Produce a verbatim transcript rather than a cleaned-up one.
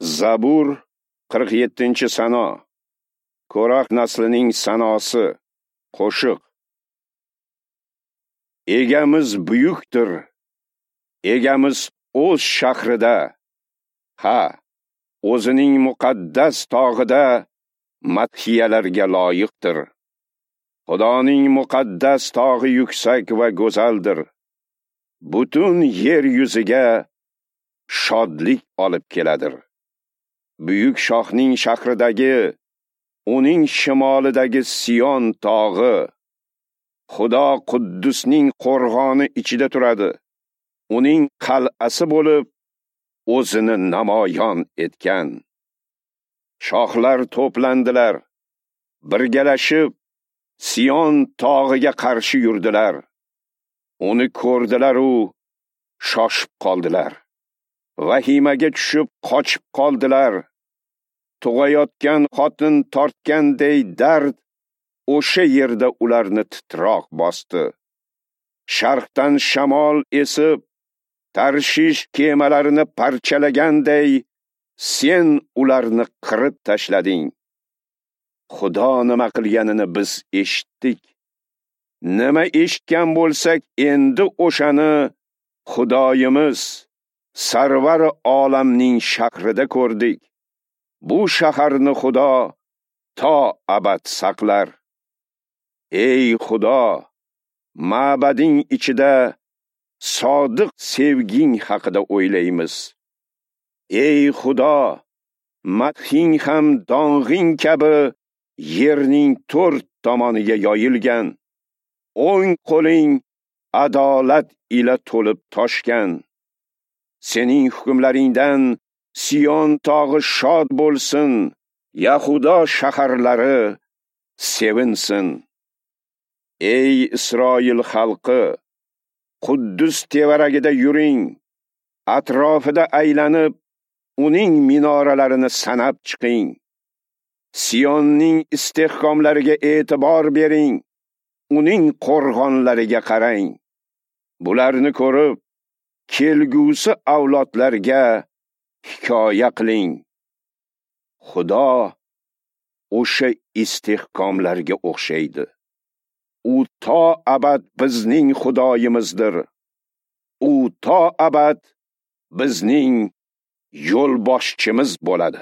Zabur qirq yettinchi sano. Ko'rax naslining sanosi. Qo'shiq. Egamiz buyukdir. Egamiz o'z shahrida, ha, o'zining muqaddas tog'ida madhiyalarga loyiqdir. Xudoning muqaddas tog'i yuksak va go'zaldir. Butun yer yuziga shodlik olib keladir. Buyuk shohning shahridagi, uning shimolidagi Sion tog'i, Xudo Quddusning qo'rg'oni ichida turadi. Uning qal'asi bo'lib, o'zini namoyon etgan. Shohlar to'plandilar, birgalashib Sion tog'iga qarshi yurdilar. Uni ko'rdilar u shoshib qoldilar. Vahimaga tushib qochib qoldilar. Tug'ayotgan xotin tortganday dard o'sha yerda ularni titroq bosdi. Sharqdan shamol esib, Tarshish kemalarini parchalaganday sen ularni qirib tashlading. Xudo nima qilganini biz eshitdik. Nima eshitgan bo'lsak, endi o'shani Xudoyimiz Sarvar olamning shahrida ko'rdik. Bu shaharni Xudo to abad saqlar. Ey Xudo, ma'bading ichida sodiq sevging haqida o'ylaymiz. Ey Xudo, madhing ham dong'ing kabi yerning to'rt tomoniga yoyilgan. O'ng qo'ling adolat ila to'lib toshgan. Sening hukmlaringdan Sion tog'i shod bo'lsin, Yahudo shaharlari sevinsin. Ey Isroil xalqi, Quddus tevaragida yuring, atrofida aylanib, uning minoralarini sanab chiqing. Sionning istehkomlariga e'tibor bering, uning qo'rg'onlariga qarang. Bularni ko'rib, kelgusi avlodlarga hikoya qiling. Xudo o'sha istehkomlarga o'xshaydi. U to abad bizning Xudoyimizdir. U to abad bizning yo'lboshchimiz bo'ladi.